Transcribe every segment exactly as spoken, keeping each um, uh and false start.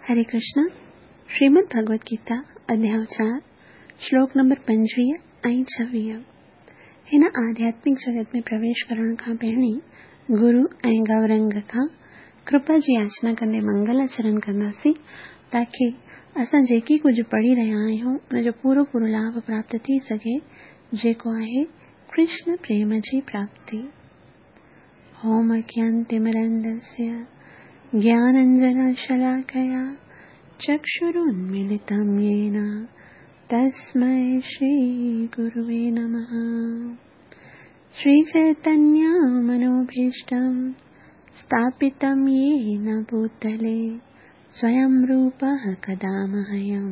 हरे कृष्ण। श्रीमद् भगवत गीता अध्याय चारि, श्लोक नंबर पंजवीह ऐं छवीह। हिन आध्यात्मिक जगत में प्रवेश करण खां पहिरीं गुरु ऐं गौरंग खां कृपा जी याचना कंदे मंगलाचरण कंदासीं, ताकी असां जेकी कुझु पढ़ी रहिया आहियूं उनजो पूरो पूरो लाभ प्राप्त थी सघे, जेको आहे कृष्ण प्रेम जी प्राप्ति। ओम अज्ञानतिमिरन्धस्य ज्ञानाञ्जनशलाकया चक्षुरुन्मीलितं येन तस्मै श्रीगुरुवे नमः। श्रीचैतन्यमनोभीष्टं स्थापितं येन भूतले स्वयं रूपः कदा मह्यं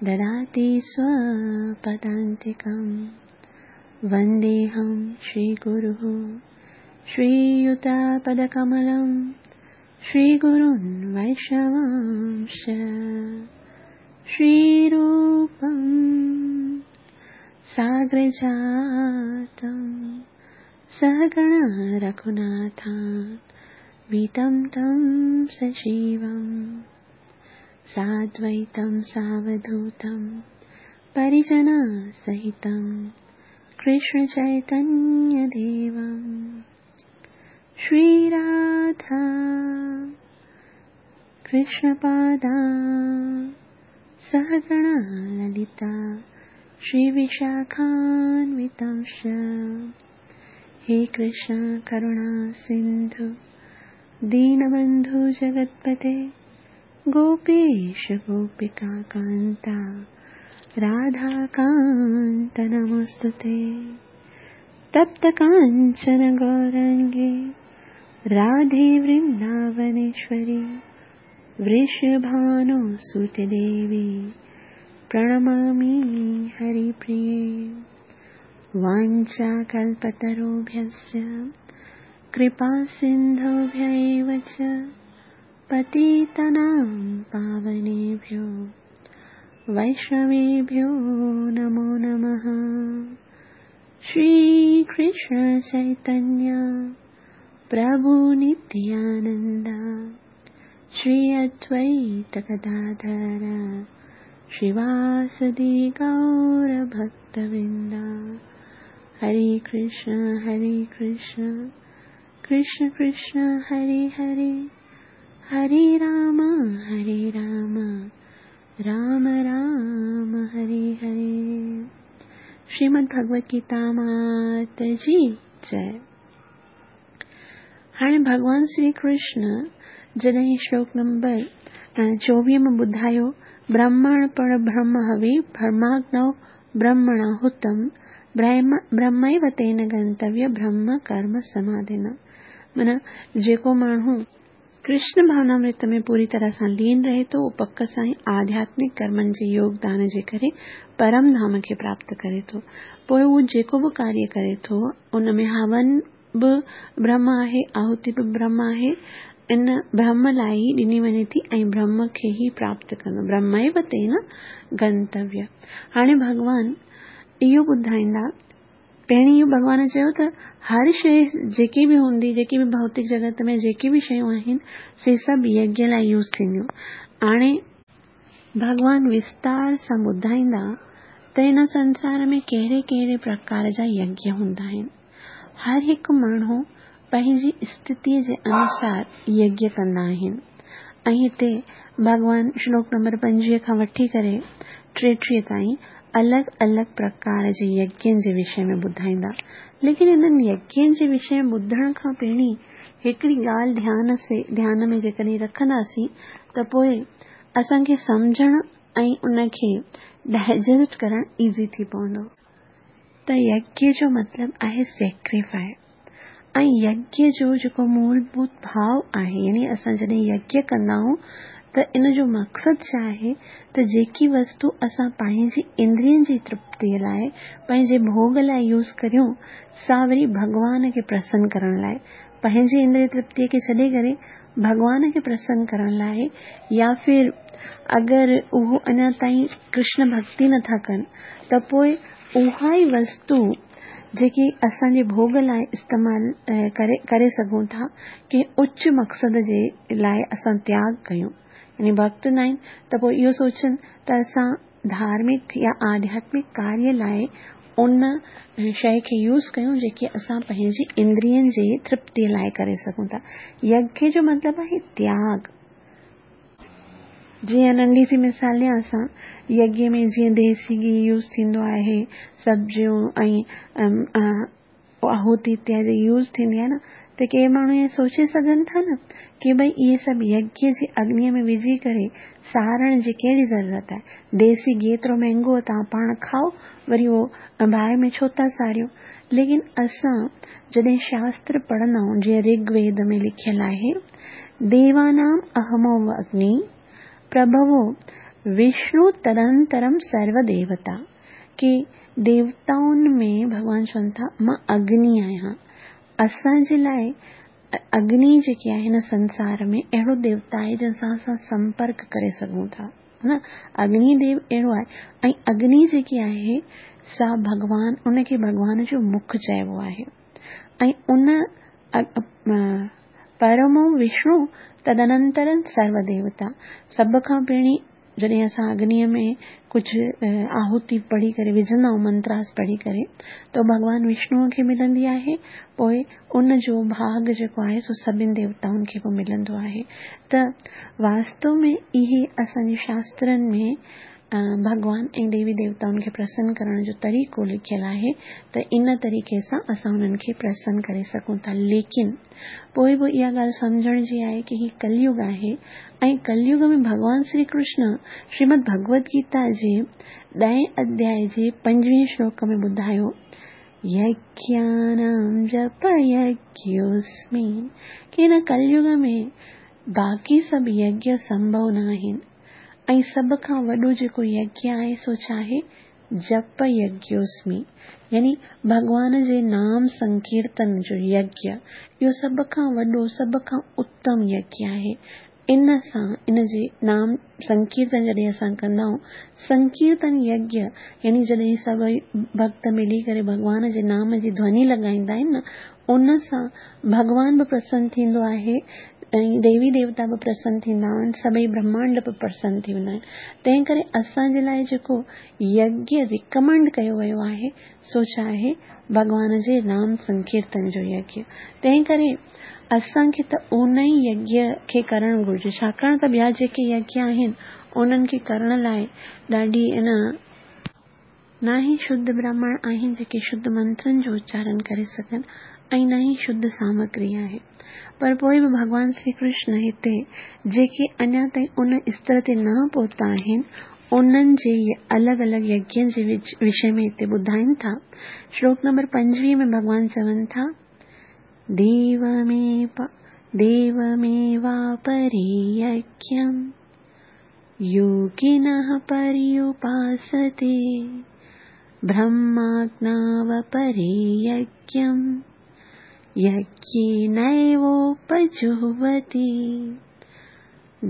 ददाति स्वपदान्तिकं। वन्देऽहं श्रीगुरुः श्रीयुतपदकमलं श्रीगुरुन् वैष्णवांश्च श्रीरूपं साग्रजातं सहगण रघुनाथान्वितं तं सजीवं साद्वैतं सावधूतं परिजनसहितं कृष्णचैतन्यदेवं। श्रीराधा कृष्णपादा सहगण ललिता श्रीविशाखान्वितांश्च। हे कृष्ण करुणा सिन्धु दीनबन्धु जगत्पते गोपेश गोपिका कान्ता राधाकान्त नमोऽस्तुते। तप्त काञ्चन गौरङ्गे राधे वृन्दावनेश्वरी वृषभानुसुते देवी प्रणमामि हरिप्रिये। वाञ्छाकल्पतरुभ्यश्च कृपासिन्धुभ्य एव च पतितानां पावनेभ्यो वैष्णवेभ्यो नमो नमः। श्रीकृष्ण चैतन्य प्रभु नित्यानन्द श्री अद्वैत गदाधर श्रीवासदि गौरभक्तवृन्द। हरे कृष्ण हरे कृष्ण कृष्ण कृष्ण हरे हरे, हरे राम हरे राम राम राम हरे हरे। श्रीमद् भगवत गीता मात जी जय। हाणे भॻवान श्री कृष्ण जॾहिं श्लोक नंबर चोवीह में ॿुधायो, ब्रह्मण पर ब्रह्म हवि ब्रह्माग्नौ ब्रह्मणाहुतं ब्रह्मैव तेन गंतव्य ब्रह्म कर्म समाधिना। माना जेको माण्हू कृष्ण भावनामृत में पूरी तरह सां लीन रहे थो, उहो पक सां ई आध्यात्मिक कर्मनि जे योगदान जे करे परम धाम खे प्राप्त करे थो। पोइ उहो जेको बि कार्य करे थो उन में हवन बि ब्रह्म आहे, आहुति बि ब्रह्म आहे, इन ब्रह्म लाइ ई ॾिनी वञे थी ऐं ब्रह्म खे ई प्राप्त कंदो, ब्रह्मैव तेन गंतव्य। हाणे भॻवान इहो ॿुधाईंदा, पहिरीं इहो भॻवान चयो त हर शइ जेकी बि हूंदी, जेकी बि भौतिक जगत में जेकी बि शयूं आहिनि, से सभु यज्ञ लाइ यूज़ थींदियूं। हाणे भॻवान विस्तार सां ॿुधाईंदा त हिन संसार में कहिड़े कहिड़े प्रकार जा यज्ञ हूंदा आहिनि। हर हिकु माण्हू पंहिंजी स्थितीअ जे अनुसार यज्ञ कंदा आहिनि। ऐं हिते भॻवान श्लोक नंबर पंजवीह खां वठी करे टेटीह ताईं अलॻि अलॻि प्रकार जे यज्ञनि जे विषय में ॿुधाईंदा। लेकिन इन्हनि यज्ञनि जे विषय में ॿुधण खां पहिरीं हिकिड़ी ॻाल्हि ध्यान से ध्यान में जेकॾहिं रखंदासीं त पोइ असांखे सम्झण ऐं उनखे डाइजेस्ट करणु ईज़ी थी पवंदो। त यज्ञ जो मतिलबु आहे सेक्रीफाइस, ऐं यज्ञ जो जेको मूलभूत भाव आहे, यानी असां जॾहिं यज्ञ कंदा आहियूं त इन जो मक़सदु छा आहे त जेकी वस्तु असां पंहिंजी इंद्रियनि जी तृप्तीअ लाइ, पंहिंजे भोग लाइ यूज़ करियूं, सा वरी भॻवान खे प्रसन्न करण लाइ, पंहिंजी इंद्रिय तृप्तीअ खे छॾे करे भॻवान खे प्रसन्न करण लाइ, या फिर अगरि उहो अञा ताईं कृष्ण भक्ति नथा कनि त पोइ उहा ई वस्तु जेकी असांजे भोग लाइ इस्तेमाल करे करे सघूं था, कंहिं उच्च मक़सद जे लाइ असां त्याग कयूं, यानी भक्त न आहिनि त पोइ इहो सोचनि त असां धार्मिक या आध्यात्मिक कार्य लाइ उन शइ खे यूज़ कयूं जेके असां पंहिंजी इंद्रियनि जे तृप्तीअ लाइ करे सघूं था। यज्ञ जो मतिलबु आहे त्याग। जीअं नंढी सी मिसाल ॾियां असां, यज्ञ में जीअं देसी घी यूज़ थींदो आहे, सब्जियूं ऐं आहुति इत्यादि यूज़ थींदी आहे न, त के माण्हू इहो सोचे सघनि था न की भई इहे सभु यज्ञ जी अग्नीअ में विझी करे सारण जी कहिड़ी ज़रूरत आहे? देसी घी एतिरो महिंगो आहे, तव्हां पाण खाओ, वरी उहो बाहि में छो था सारियो? लेकिन असां जॾहिं शास्त्र पढ़ंदा आहियूं, जीअं ऋग्वेद में लिखियलु आहे, देवानाम अहमो अग्नि प्रभवो विष्णु तदंतरम सर्वदेवता, की देवताउनि में भॻवान चवनि था मां अग्नि आहियां। असांजे लाइ अग्नि जेकी आहे हिन संसार में अहिड़ो देवता आहे जंहिंसां असां संपर्क करे सघूं था, न अग्निदेव अहिड़ो आहे। ऐं अग्नि जेकी आहे सा भॻवान, उनखे भॻवान जो मुख चइबो आहे। ऐं उन परमो विष्णु तदनंतरम सर्वदेवता, सभ खां पहिरीं जॾहिं असां अग्नीअ में कुझु आहुति पढ़ी करे विझंदा आहियूं, मंत्रास पढ़ी करे, त भॻवान विष्णुअ खे मिलंदी आहे, पोइ उन जो भाग जेको आहे सो सभिनी देवताउनि खे बि मिलंदो आहे। त वास्तव में इहे असांजे शास्त्रनि में भॻवान ऐं देवी देवताउनि खे प्रसन्न करण जो तरीक़ो लिखियलु आहे, त इन तरीक़े सां असां उन्हनि खे प्रसन्न करे सघूं था। लेकिन पोइ बि इहा ॻाल्हि सम्झण जी आहे की हीउ कलयुग आहे ऐं कलयुग में भॻवान श्री कृष्ण श्रीमद भगवद गीता जे ॾहें अध्याय जे पंजवीह श्लोक में ॿुधायो, यज्ञानां जप यज्ञोऽस्मि, की हिन कलयुग में बाक़ी सभु यज्ञ संभव न आहिनि ऐं सभ खां वॾो जेको यज्ञ आहे सो छा आहे? जप यज्ञोऽस्मि, यानी भॻवान जे नाम संकीर्तन जो यज्ञ, इहो सभ खां वॾो, सभ खां उत्तम यज्ञ आहे। इन सां, इन जे नाम संकीर्तन जॾहिं असां कंदा आहियूं, संकीर्तन यज्ञ यानी जॾहिं सभई भक्त मिली करे भॻवान जे नाम जी ध्वनि लॻाईंदा आहिनि न, उन सां भॻवान बि प्रसन्न थींदो आहे ऐं देवी देवता बि प्रसन्न थींदा आहिनि, सभई ब्रह्मांड बि प्रसन्न थी वेंदा आहिनि। तंहिं करे असांजे लाइ जेको यज्ञ रिकमेंड कयो वियो आहे सो छा आहे? भॻवान जे नाम संकीर्तन जो यज्ञ। तंहिं करे असांखे त उन ई यज्ञ खे करणु घुरिजे, छाकाणि त ॿिया जेके यज्ञ आहिनि उन्हनि खे करण लाइ ॾाढी इन न ई शुद्ध ब्राह्मण आहिनि जेके शुद्ध मंत्रनि जो उच्चारण करे सघनि ऐं न ई शुद्ध सामग्री आहे। पर पोइ बि भॻवान श्री कृष्ण हिते जेके अञा ताईं उन स्तर ते न पहुता आहिनि उन्हनि जे अलॻि अलॻि यज्ञनि जे विषय में हिते ॿुधाइनि था। श्लोक नंबर पंजवीह में भॻवान चवनि था, देवमेव देवमेवापरे यज्ञं योगिनः पर्युपासते, ब्रह्माग्नावपरे यज्ञं यज्ञेनैवोपजुह्वति,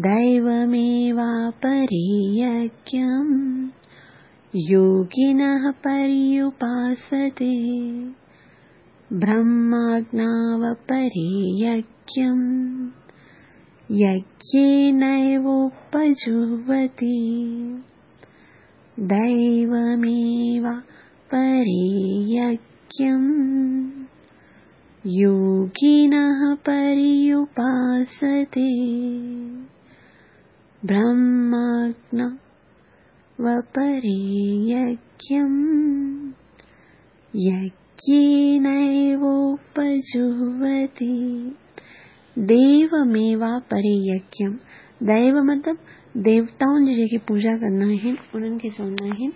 दैवमेवापरे यज्ञं योगिनः पर्युपासते, ब्रह्माग्नावपरे यज्ञं यज्ञेनैवोपजुह्वति, दैवमेवापरे यज्ञं योगिनः पर्युपासते, ब्रह्माग्नावपरे यज्ञं यज्ञेनैवोपजुह्वति। देवमेवापरे यज्ञं, दैव मतिलबु देवताउनि जी जेके पूजा कंदा आहिनि उन्हनि खे चवंदा आहिनि।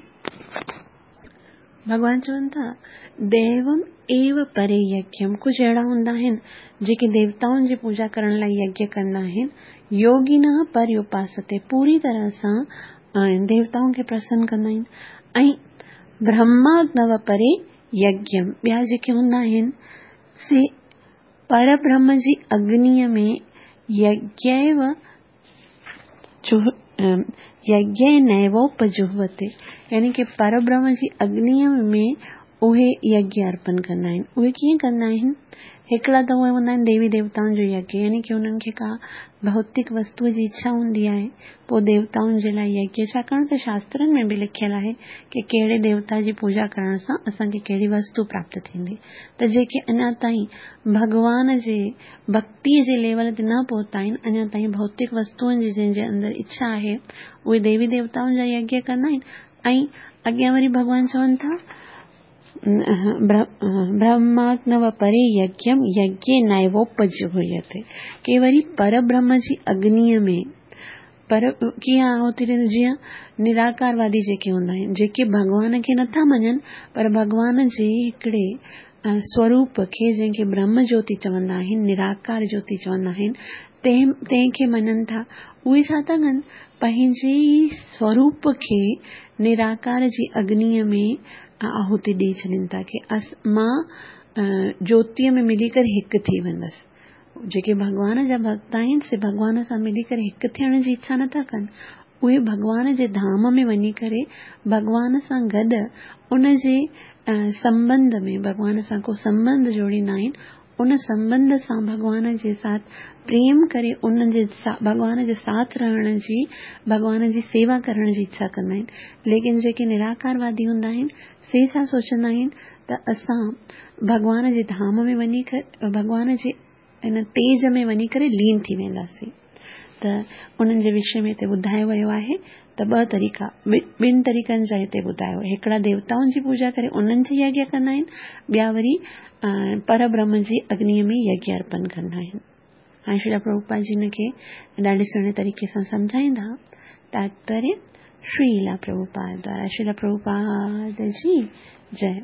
भॻवान चवनि था दैवम एव परे यज्ञम, कुझु अहिड़ा हूंदा आहिनि जेके देवताउनि जी पूजा करण लाइ यज्ञ कंदा आहिनि। योगिनः पर्युपासते, पूरी तरह सां देवताउनि खे प्रसन्न कंदा आहिनि। ऐं ब्रह्माग्नव परे यज्ञम, ॿिया जेके हूंदा आहिनि से परब्रह्म जी अग्नीअ में यज्ञैव यज्ञेनैवोपजुह्वते, यानी कि परब्रह्म जी अग्नीअ में उहे यज्ञ अर्पण कंदा आहिनि। उहे कीअं कंदा आहिनि? हिकिड़ा त उहे हूंदा आहिनि देवी देवताउनि जो यज्ञ, यानी की उन्हनि खे का भौतिक वस्तुअ जी इच्छा हूंदी आहे, पोइ देवताउनि जे लाइ यज्ञ। छाकाणि त शास्त्रनि में बि लिखियलु आहे की कहिड़े देवता जी पूजा करण सां असांखे कहिड़ी वस्तु प्राप्त थींदी। त जेके अञा ताईं भॻवान जे भक्तीअ जे लेवल ते न पहुता आहिनि, अञा ताईं भौतिक वस्तुअनि जी जंहिंजे अंदरि इच्छा आहे, उहे देवी देवताउनि जा यज्ञ कंदा आहिनि। ऐं अॻियां वरी भॻवान चवनि था ब्रह्माग्नव परे यज्ञम यज्ञे नैवोपजुह्यते, के वरी परब्रह्म जी अग्निअ में पर कीअं आहुति ॾियनि। जीअं निराकारवादी जेके हूंदा आहिनि, जेके भॻवान खे नथा मञनि पर भॻवान जे हिकिड़े स्वरूप खे जंहिंखे ब्रह्म ज्योति चवंदा आहिनि, निराकार ज्योति चवंदा आहिनि, तंहिं तंहिंखे मञनि था। उहे छा था कनि? पंहिंजे ई स्वरूप खे निराकार जी अग्निअ में आहुति ॾेई छॾनि था की अस मां ज्योतिअ में मिली करे हिकु थी वेंदसि। जेके भॻवान जा भक्त आहिनि से भॻवान सां मिली करे हिकु थियण जी इच्छा नथा कनि, उहे भॻवान जे धाम में वञी करे भॻवान सां गॾु उन जे संबंध में भॻवान सां को संबंध जोड़ींदा आहिनि, उन संबंध सां भॻवान जे साथ प्रेम करे उन जे भॻवान जे साथ रहण जी, भॻवान जी सेवा करण जी इच्छा कंदा आहिनि। लेकिन जेके निराकारवादी हूंदा आहिनि से छा सोचंदा आहिनि त असां भॻवान जे धाम में वञी करे भॻवान जे इन तेज में वञी करे लीन थी वेंदासीं। त उन्हनि जे विषय में हिते ॿुधायो वियो आहे त ॿ तरीक़ा, ॿिनि तरीक़नि जा हिते ॿुधायो। हिकिड़ा देवताउनि जी पूजा करे उन्हनि जी यज्ञ कंदा आहिनि, ॿिया वरी परब्रह्म जी अग्निअ में यज्ञ अर्पण कंदा आहिनि। हाणे श्रील प्रभुपाद जी हिनखे ॾाढे सुहिणे तरीक़े सां सम्झाईंदा। तात्पर्य श्रील प्रभुपाद द्वारा। श्रील प्रभुपाद जी जय।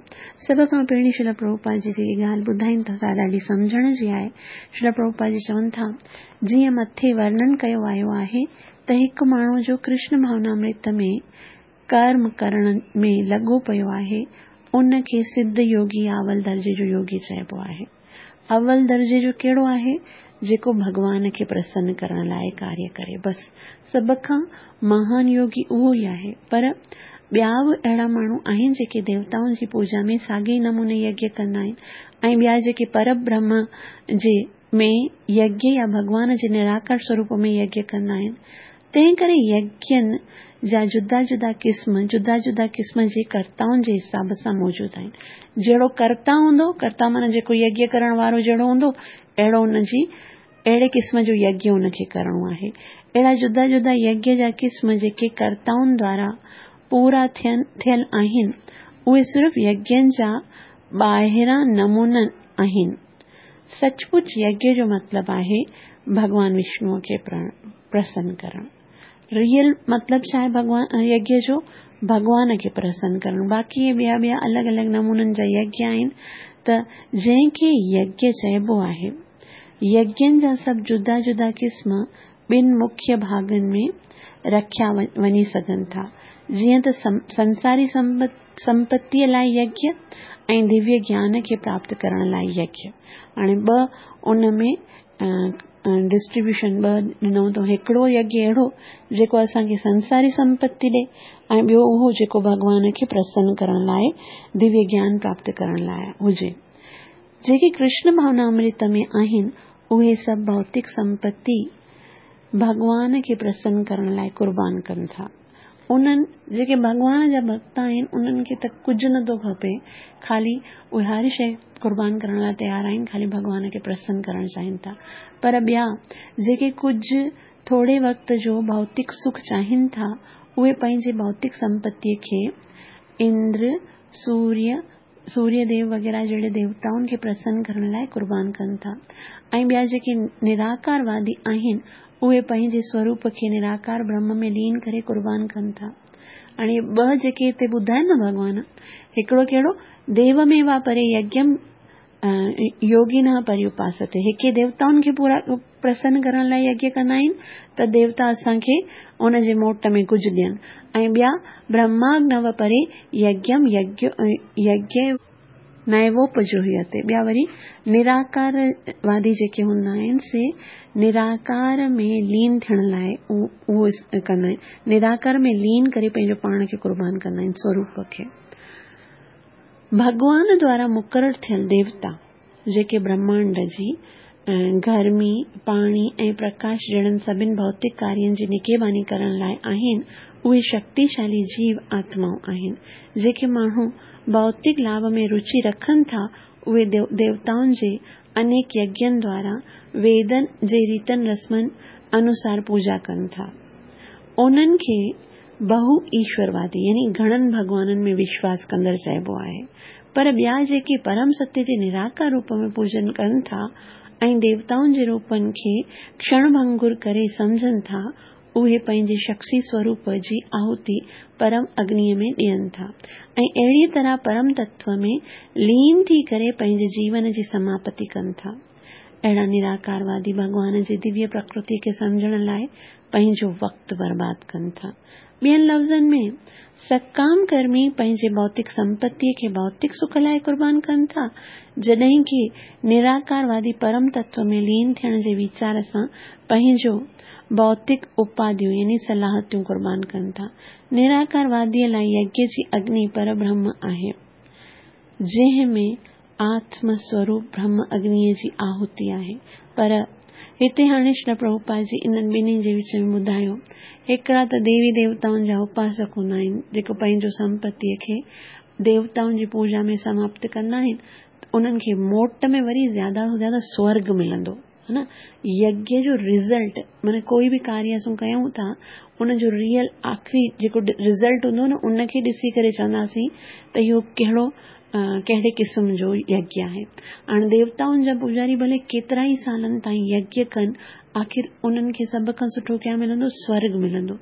सभ खां पहिरीं श्रील प्रभुपाद जी जेकी ॻाल्हि ॿुधाइनि था सा ॾाढी सम्झण जी आहे। श्रील प्रभुपाद जी चवनि था जीअं मथे वर्णन कयो आयो आहे त हिकु माण्हू जो कृष्ण भावनामृत में कर्म करण में लॻो पियो आहे, उनखे सिद्ध योगी या अवल दर्जे जो योगी चइबो आहे। अवल दर्जे जो कहिड़ो आहे? जेको भॻवान खे प्रसन्न करण लाइ कार्य करे, बसि सभ खां महान योगी उहो ई आहे। पर ॿिया बि अहिड़ा माण्हू आहिनि जेके देवताउनि जी पूजा में साॻे नमूने यज्ञ कंदा आहिनि, ऐं ॿिया जेके परब्रह्म जे में यज्ञ या भॻवान जे निराकार स्वरूप में यज्ञ कंदा आहिनि। तंहिं करे यज्ञनि जा जुदा जुदा क़िस्म जुदा जुदा क़िस्म जे कर्ताउनि जे हिसाब सां मौजूदु आहिनि। जहिड़ो कर्ता हूंदो, कर्ता माना जेको यज्ञ करण वारो जहिड़ो हूंदो, अहिड़ो उनजी अहिड़े क़िस्म जो यज्ञ उनखे करिणो आहे। अहिड़ा जुदा जुदा यज्ञ जा क़िस्म जेके कर्ताउनि द्वारा पूरा थियनि थियल आहिनि, उहे सिर्फ़ यज्ञनि जा ॿाहिरां नमूना आहिनि। सचमुच यज्ञ जो मतिलबु आहे भॻवान विष्णुअ खे प्रसन्न करणु। रियल मतिलबु छा आहे भॻवान यज्ञ जो? भॻवान खे प्रसन्न करणु। बाक़ी इहे ॿिया ॿिया अलॻि अलॻि नमूननि जा यज्ञ आहिनि। त जंहिंखे यज्ञ चइबो आहे, यज्ञनि जा सभु जुदा जुदा क़िस्म ॿिनि मुख्य भाॻनि में रखिया वञी सघनि था, जीअं त संसारी संपत्तीअ लाइ यज्ञ ऐं दिव्य ज्ञान खे प्राप्त करण लाइ यज्ञ। हाणे ॿ उन में डिस्ट्रीब्यूशन ॿ ॾिनो अथऊं। हिकिड़ो यज्ञ अहिड़ो जेको असांखे संसारी संपत्ति ॾे, ऐं ॿियो उहो जेको भॻवान खे प्रसन्न करण लाइ दिव्य ज्ञान प्राप्त करण लाइ हुजे। जेके कृष्ण भावनामृत में आहिनि उहे सभु भौतिक संपत्ति भॻवान खे प्रसन्न करण लाइ क़ुर्बान कनि था। उन्हनि जेके भॻवान जा भक्त आहिनि उन्हनि खे त कुझु नथो खपे, ख़ाली उहे हर शइ क़ुर्बान करण लाइ तयारु आहिनि, ख़ाली भॻवान खे प्रसन्न करण चाहिनि था। पर ॿिया जेके कुझु थोरे वक़्त जो भौतिक सुख चाहिनि था, उहे पंहिंजे भौतिक संपत्तीअ खे इंद्र, सूर्य, सूर्यदेव वग़ैरह जहिड़े देवताउनि खे प्रसन्न करण लाइ क़ुर्बान कनि था। ऐं ॿिया जेके निराकारवादी आहिनि उहे पंहिंजे स्वरूप खे निराकार ब्रह्म में लीन करे क़ुर्बान कनि था। हाणे ॿ जेके हिते ॿुधाइनि न भॻवान, हिकिड़ो कहिड़ो देव में वा परे यज्ञम योगिनः पर्युपासते, हिके देवताउनि खे पूरा प्रसन्न करण लाइ यज्ञ कंदा आहिनि त देवता असांखे उन जे मोट में कुझु ॾियनि, ऐं ॿिया ब्रह्माग्नव परे यज्ञम यज्ञ यज्ञ नैवोपजुह्यते। ॿिया वरी निराकारवादी जेके हूंदा आहिनि से निराकार में लीन थियण लाइ उहो कंदा आहिनि, निराकार में लीन करे पंहिंजो पाण खे क़ुर्बान कंदा आहिनि स्वरूप खे। ڀڳوان دوارا مقرر ٿيل ديوتا، جيڪي برهمانڊ جي گرمي، پاڻي ۽ پرڪاش جهڙن سڀني ڀوتڪ ڪارين جي نگهباني ڪرڻ لاءِ آهن، اهي شڪتيشالي جيو آتمائون آهن. جيڪي ماڻهو ڀوتڪ لاڀ ۾ رچي رکن ٿا، اهي ديوتائن جي انيڪ يگين دوارا ويدن جي ريتن رسمن انوسار پوڄا ڪن ٿا. انهن کي بهو ايشوروادي يعني گهڻن ڀڳوانن ۾ وشواس ڪندڙ چئبو آهي. پر ٻيا جيڪي پرم ستيه جي نراڪار روپ ۾ پوڄن ڪن ٿا ۽ ديوتائن جي روپن کي ڪشڻ ڀنگر ڪري سمجهن ٿا، اهي پنهنجي شخصي سوروپ جي آهوتي پرم اگنيءَ ۾ ڏين ٿا ۽ اهڙيءَ طرح پرم تتو ۾ لين ٿي ڪري پنهنجي جيون جي سماپتي ڪن ٿا. اهڙا نراڪاروادي ڀڳوان جي دويه پرڪرتي کي سمجهڻ لاءِ پنهنجو وقت برباد ڪن ٿا. ٻين لفظن ۾، سڪام ڪرمي پنهنجي ڀوتڪ سمپتيءَ کي ڀوتڪ سک لاءِ قربان ڪن ٿا، جڏهن ڪه نراڪاروادي پرم تتو ۾ لين ٿيڻ جي ويچار سان پنهنجو ڀوتڪ اپاڌيون يعني صلاحيتون قربان ڪن ٿا. نراڪارواديءَ لاءِ يگيه جي اگني پربرهم آهي، جنهن ۾ آتم سوروپ برهم اگنيءَ جي آهوتي آهي. پر هتي هاڻي شري پرڀوپاد جي انهن ٻنهي جي وچ ۾ ٻڌايو. هڪڙا ته ديوي ديوتائن جا اپاسڪ هوندا آهن، جيڪو پنهنجو سمپتيءَ کي ديوتائن جي پوڄا ۾ سماپت ڪندا آهن، انهن کي موٽ ۾ وري زياده کان زياده سورڳ ملندو ها نه. يگيه جو رزلٽ معنيٰ ڪوئي به ڪاريه اسان ڪيون ٿا، ان جو ريئل آخري جيڪو رزلٽ هوندو نه، ان کي ڏسي ڪري چونداسين ته اهو ڪهڙو ڪهڙي قسم جو يگيه آهي. هاڻي ديوتائن جا پوڄاري ڀلي ڪيترا ئي سالن تائين يگيه ڪن، آخر انهن کي سڀ کان سٺو ڪيا ملندو؟ سورڳ ملندو.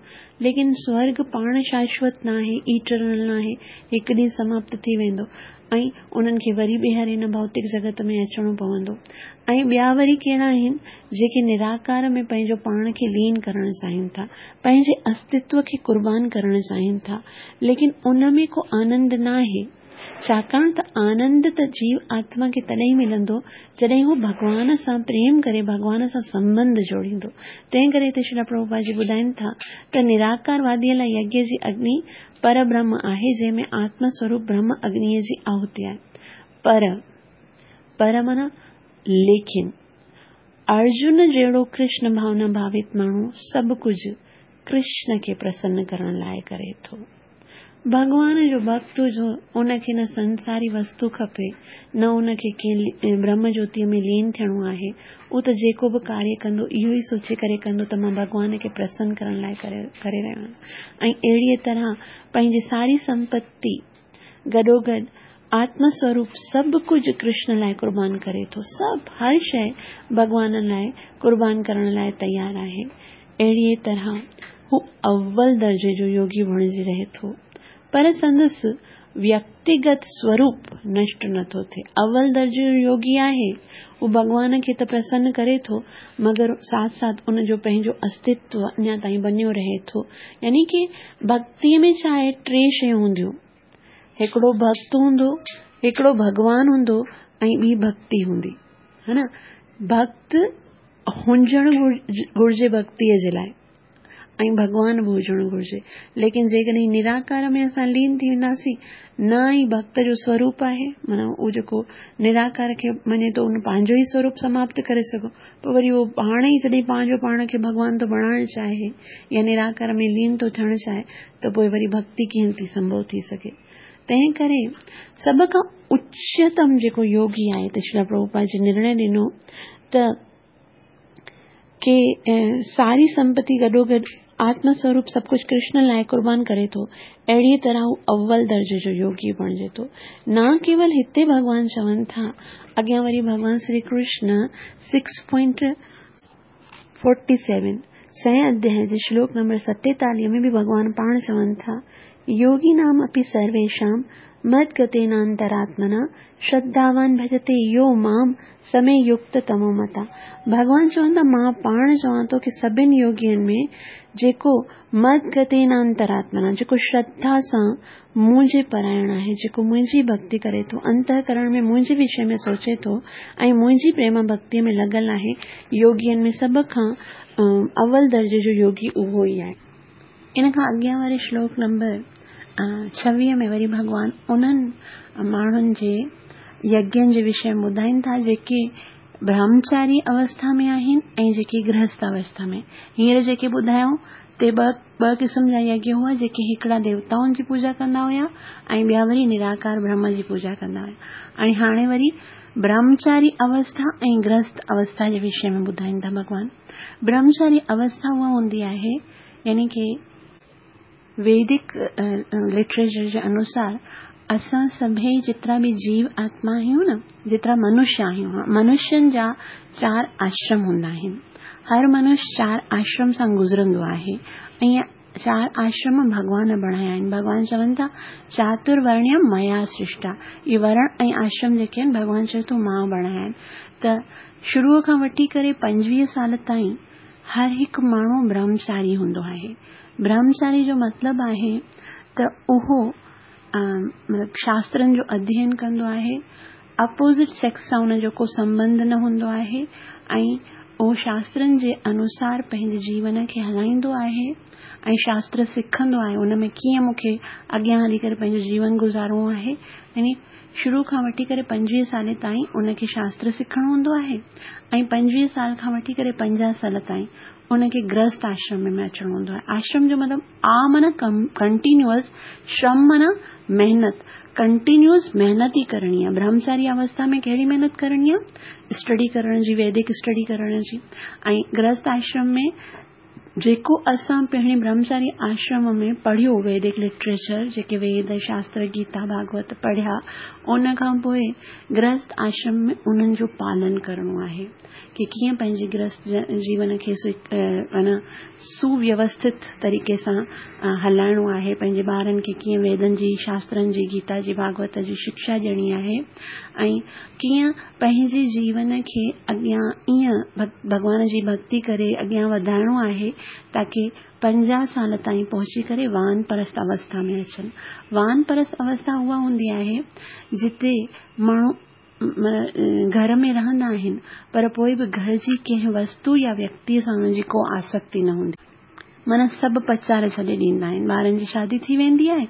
ليڪن سورڳ پاڻ شاشوت نه آهي، ايٽرنل نه آهي، هڪ ڏينهن سماپت ٿي ويندو ۽ انهن کي وري ٻيهر هن ڀوتڪ جڳت ۾ اچڻو پوندو. ۽ ٻيا وري ڪهڙا آهن؟ جيڪي نراڪار ۾ پنهنجو پاڻ کي لين ڪرڻ چاهين ٿا، پنهنجي استتو کي قربان ڪرڻ چاهين ٿا، ليڪن ان ۾ ڪو آنند نه آهي، ڇاڪاڻ ته آنند ته جيو آتما کي تڏهن ملندو جڏهن هو ڀڳوان سان پريم ڪري ڀڳوان سان سنٻنڌ جوڙيندو. تنهن ڪري هتي شري پرڀوپاد جي ٻڌائين ٿا ته نراڪارواديءَ لاءِ يگيه جي اگني پربرهم آهي، جنهن ۾ آتم سوروپ برهم اگنيءَ جي آهوتي آهي. پر پر معنيٰ ليڪن، ارجن جهڙو ڪرشن ڀاونا ڀاوت ماڻهو سڀ ڪجهه ڪرشن کي پرسن ڪرڻ لاءِ ڪري ٿو. ڀڳوان جو ڀڪت جو ان کي نه سنساري وستو کپي، نه ان کي ڪنهن برهم جيوتيءَ ۾ لين ٿيڻو آهي. اهو ته جيڪو به ڪاريه ڪندو، اهو ئي سوچي ڪري ڪندو ته مان ڀڳوان کي پرسن ڪرڻ لاءِ ڪري ڪري رهيو آهيان ۽ اهڙيءَ طرح پنهنجي ساري سمپتي گڏوگڏ آتم سوروپ سڀ ڪجهه ڪرشن لاءِ قربان ڪري ٿو. سڀ هر شيءِ ڀڳوان لاءِ قربان ڪرڻ لاءِ تيار آهي. اهڙيءَ طرح هو اول درجي جو يوگي بڻجي رهي ٿو، پر سندس ويڪتيگت سوروپ نشٽ نٿو ٿئي. اول درجي جو يوگي آهي، اهو ڀڳوان کي ته پرسن ڪري ٿو، مگر ساٿ ساٿ ان جو پنهنجو استتو اڃا تائين بنيو رهي ٿو. يعني ڪه ڀڪتيءَ ۾ ڇا آهي؟ ٽي شيون هونديون. هڪڙو ڀڪت هوندو، هڪڙو ڀڳوان هوندو ۽ ٻي ڀڪتي هوندي، ها نه. ڀڪت هجڻ گهرجي ڀڪتيءَ جي لاءِ ۽ ڀڳوان به هجڻ گهرجي. ليڪن جيڪڏهن نراڪار ۾ اسان لين ٿي وينداسين، نه ئي ڀڪت جو سوروپ آهي، معنيٰ اهو جيڪو نراڪار کي مڃي ٿو، ان پنهنجو ئي سوروپ سماپت ڪري سگهو، پوءِ وري اهو پاڻ ئي جڏهن پنهنجو پاڻ کي ڀڳوان ٿو بڻائڻ چاهي يا نراڪار ۾ لين ٿو ٿيڻ چاهي، ته پوءِ وري ڀڪتي ڪيئن ٿي سنڀو ٿي سگهي؟ تنهن ڪري سڀ کان اچتم جيڪو يوگي آهي، ته شري پرڀوپاد جي نرڻي ڏنو ته ڪه ساري سمپتي گڏوگڏ آتم سوروپ سڀ ڪجهه ڪرشن لاءِ قربان ڪري ٿو، اهڙيءَ طرح هو اول درجي جو يوگي بڻجي ٿو. نه ڪيول هتي ڀڳوان چون ٿا، اڳيان وري ڀڳوان Shri Krishna six point forty seven, ڇهين اڌياءِ جي شلوڪ نمبر ستيتاليهه ۾ به ڀڳوان پاڻ چون ٿا، يوگينام اپي سرويشام مدگتينانتراتمنا شرڌاوان ڀجتي يو مام س مي يڪتتمو متः. ڀڳوان چون ٿا، مان پاڻ چوان ٿو ڪه سڀني يوگين ۾ جيڪو مدگتينانتراتمنا، جيڪو شرڌا سان منهنجي پرائڻ آهي، جيڪو منهنجي ڀڪتي ڪري ٿو، انتهڪرڻ ۾ منهنجي وشي ۾ سوچي ٿو ۽ منهنجي پريم ڀڪتيءَ ۾ لڳل آهي، يوگين ۾ سڀ کان اول درجي جو يوگي اهو ئي آهي. ان کان اڳيان واري شلوڪ نمبر ڇويهه ۾ وري ڀڳوان انهن ماڻهن جي يگين جي وشي ۾ ٻڌائين ٿا جيڪي برهمچاري اوسٿا ۾ آهن ۽ جيڪي گرهست اوسٿا ۾. هينئر جيڪي ٻڌايائون تي ٻه ٻه قسم جا يگيه هئا، جيڪي هڪڙا ديوتائن جي پوڄا ڪندا هئا ۽ ٻيا وري نراڪار برهم جي پوڄا ڪندا هئا. ۽ هاڻي وري برهمچاري اوسٿا ۽ گرهست اوسٿا جي وشي ۾ ٻڌائين ٿا ڀڳوان. برهمچاري اوسٿا اها هوندي آهي يعني ڪي ويدڪ لٽريچر جي انوسار اسان سڀئي جيترا به جيو آتما آهيون نه، جيترا منشيه آهيون، منشين جا چار آشرم هوندا آهن. هر منشيه چار آشرم سان گذرندو آهي ۽ چار آشرم ڀڳوان بڻايا آهن. ڀڳوان چون ٿا چاترورڻيه ميا سرشٽا. اهي ورڻ ۽ آشرم جيڪي آهن ڀڳوان چوي ٿو مان بڻايا آهن. ته شروع کان وٺي ڪري پنجويهه سال تائين هر هڪ ماڻهو برهمچاري هوندو آهي. برهمچاري جو مطلب آهي ته اهو مطلب شاسترن جو اڌيين ڪندو آهي، اپوزٽ سيڪس سان ان جو ڪو سنٻنڌ نه هوندو آهي ۽ اهو شاسترن جي انوسار پنهنجي جيون کي هلائيندو آهي ۽ شاستر سکندو آهي ان ۾ ڪيئن مون کي اڳيان هلي ڪري پنهنجو جيون گذارڻو آهي. يعني شروع کان وٺي ڪري پنجويهه سال تائين ان کي شاستر سکڻو هوندو آهي ۽ پنجويهه سال کان وٺي ڪري پنجاهه سال تائين ان کي گرهست آشرم ۾ اچڻو هوندو آهي. آشرم جو مطلب آ معنيٰ ڪنٽينيوئس، شرم معنيٰ محنت، ڪنٽينيوئس محنت ئي ڪرڻي آهي. برهمچاري اوسٿا ۾ ڪهڙي محنت ڪرڻي آهي؟ اسٽڊي ڪرڻ جي، ويدڪ اسٽڊي ڪرڻ جي. ۽ گرهست آشرم ۾ جيڪو اسان پهرين برهمچاري آشرم ۾ پڙهيو ويدڪ لٽريچر، جيڪي ويد شاستر گيتا ڀاڳوت پڙهيا، ان کان پوءِ گرهست آشرم ۾ انهن جو پالن ڪرڻو آهي ڪه ڪيئن پنهنجي گرهست جيون کي معنيٰ سوويوسٿت طريقي سان هلائڻو آهي، پنهنجي ٻارن کي ڪيئن ويدن جي شاسترن جي گيتا جي ڀاڳوت جي شڪشا ڏيڻي آهي ۽ ڪيئن پنهنجي جيون کي اڳيان ائين ڀڳوان جي ڀڳتي ڪري اڳيان وڌائڻو آهي تاڪه پنجاهه سال تائين پهچي ڪري وانپرست اوسٿا ۾ اچن. وانپرست اوسٿا اها هوندي آهي جتي ماڻهو گهر ۾ رهندا آهن پر پوءِ به گهر جي ڪنهن وستو يا ويڪتيءَ سان هنن جي ڪو آسڪتي نه هوندي، معنيٰ سڀ پچار ڇڏي ڏيندا آهن. ٻارن جي شادي ٿي ويندي آهي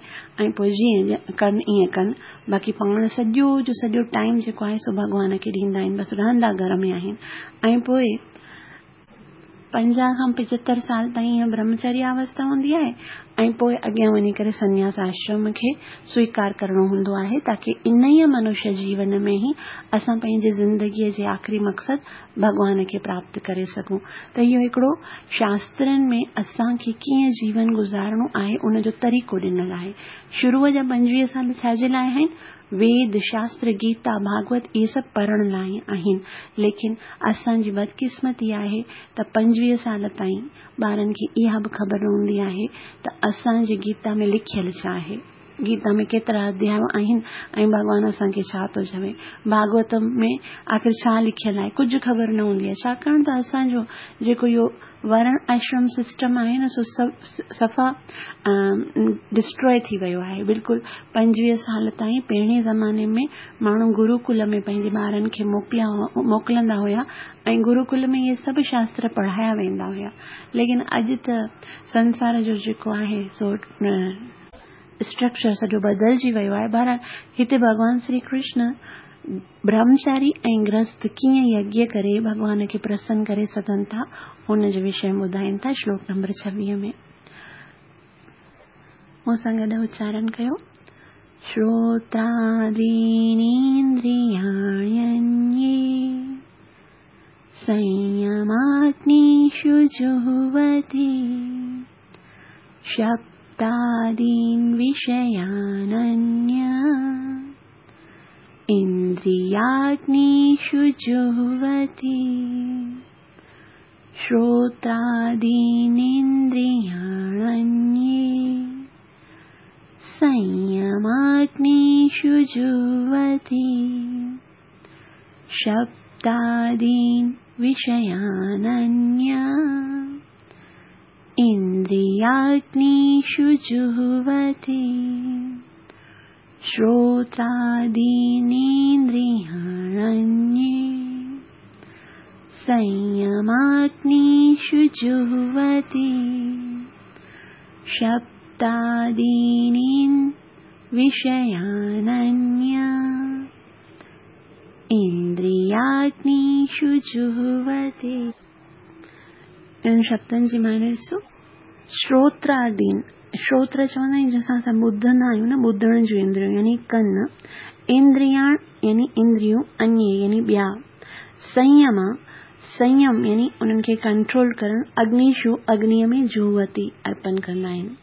۽ پوءِ جيئن ڪن ائين ڪن، باقي پاڻ سڄو جو سڄو ٽائيم جيڪو آهي سو ڀڳوان کي ڏيندا آهن، بس رهندا گهر ۾ آهن. ۽ پوءِ پنجاهه کان پنجهتر سال تائين اها برهمچاري اوسٿا هوندي آهي ۽ پوءِ اڳيان وڃي ڪري سنياس آشرم کي سويڪار ڪرڻو هوندو آهي تاڪه ان ئي منشيه جيون ۾ ئي اسان پنهنجي زندگيءَ جي آخري مقصد ڀڳوان کي پراپت ڪري سگهون. ته اهو هڪڙو شاسترن ۾ اسان کي ڪيئن جيون گذارڻو آهي ان جو طريقو ڏنل آهي. شروع جا پنجويهه سال ڇا جي لاءِ آهن؟ ويد شاستر گيتا ڀاڳوت اهي سڀ پڙهڻ لاءِ آهن. ليڪن اسان جي بدقسمتي آهي ته پنجويهه سال تائين ٻارن کي اها به خبر نه هوندي آهي ته اسان جي گيتا ۾ لکيل ڇا آهي، گيتا ۾ ڪيترا اڌياءَ آهن ۽ ڀڳوان اسان کي ڇا ٿو چوي، ڀاڳوت ۾ آخر ڇا لکيل آهي، ڪجهه خبر نه هوندي آهي. ڇاڪاڻ ته اسان جو جيڪو اهو ورڻ آشرم سسٽم آهي نه سو صفا ڊسٽرائي ٿي ويو آهي. بلڪل پنجويهه سال تائين پهرين زماني ۾ ماڻهو گروڪل ۾ پنهنجي ٻارن کي موڪليا موڪلندا هئا ۽ گروڪل ۾ اهي سڀ شاستر پڙهايا ويندا هئا. ليڪن اڄ ته سنسار جو جيڪو آهي سو اسٽرڪچر سڄو بدلجي ويو آهي. بهرحال هتي ڀڳوان شري ڪرشن برهمچاري ۽ گرهست ڪيئن يگيه ڪري ڀڳوان کي پرسن ڪري سگهن ٿا ان جي وشي ۾ ٻڌائين ٿا شلوڪ نمبر ڇويهه ۾. مون سان گڏ اچارڻ ڪيو. شروترادينيندرياڻي संयमाग्निषु जुह्वति शब्दादीन् विषयानन्य इन्द्रियाग्निषु जुह्वति। श्रोत्रादीनिन्द्रियाण्ये संयमाग्निषु जुह्वति शब्दादीन् विषयानन्य इन्द्रियाग्निषु जुह्वति। श्रोत्रादीनिन्द्रियाण्ये संयमाग्निषु जुह्वति शब्दादीन् शब्दादीनि विषयानन्य इंद्रियाग्निषु जुह्वति। इन्हनि शब्दनि जी माने ॾिसो, श्रोत्रादीन, श्रोत्र चवंदा आहिनि जंहिंसां असां ॿुधंदा आहियूं न, ॿुधण जूं इंद्रियूं यानी कन, इंद्रियाण यानी इंद्रियूं, अन्य यानी ॿिया, संयम संयम यानी उन्हनि खे कंट्रोल करणु, अग्निषु अग्निअ में जुह्वति अर्पण कंदा आहिनि,